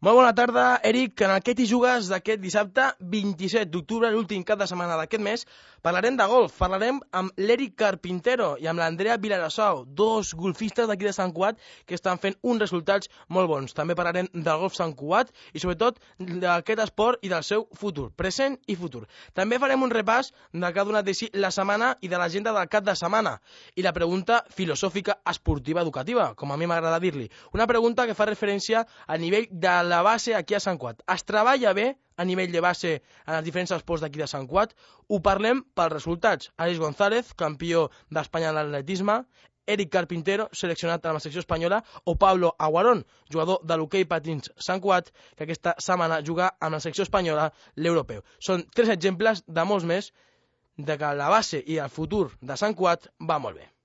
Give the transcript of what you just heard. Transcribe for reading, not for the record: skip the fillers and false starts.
Molt bona tarda, Eric. En el Què t'hi jugues d'aquest dissabte 27 d'octubre, l'últim cap de setmana d'aquest mes, parlarem de golf. Parlarem amb l'Eric Carpintero i amb l'Andrea Vilarassau, dos golfistes d'aquí de Sant Cugat que estan fent uns resultats molt bons. També parlarem del golf Sant Cugat i sobretot d'aquest esport i del seu futur, present i futur. També farem un repàs del que ha donat de si la setmana i de l'agenda del cap de setmana i la pregunta filosòfica esportiva educativa, com a mi m'agrada dir-li. Una pregunta que fa referència al nivell de la base aquí a Sant Cugat. Es treballa bé a nivell de base en els diferents esports d'aquí de Sant Cugat? Ho parlem pels resultats. Àlex González, campió d'Espanya en l'atletisme, Eric Carpintero, seleccionat en la secció espanyola, o Pablo Aguarón, jugador de l'hoquei patins Sant Cugat, que aquesta setmana juga amb la secció espanyola l'europeu. Són tres exemples de molts més de que la base i el futur de Sant Cugat va molt bé.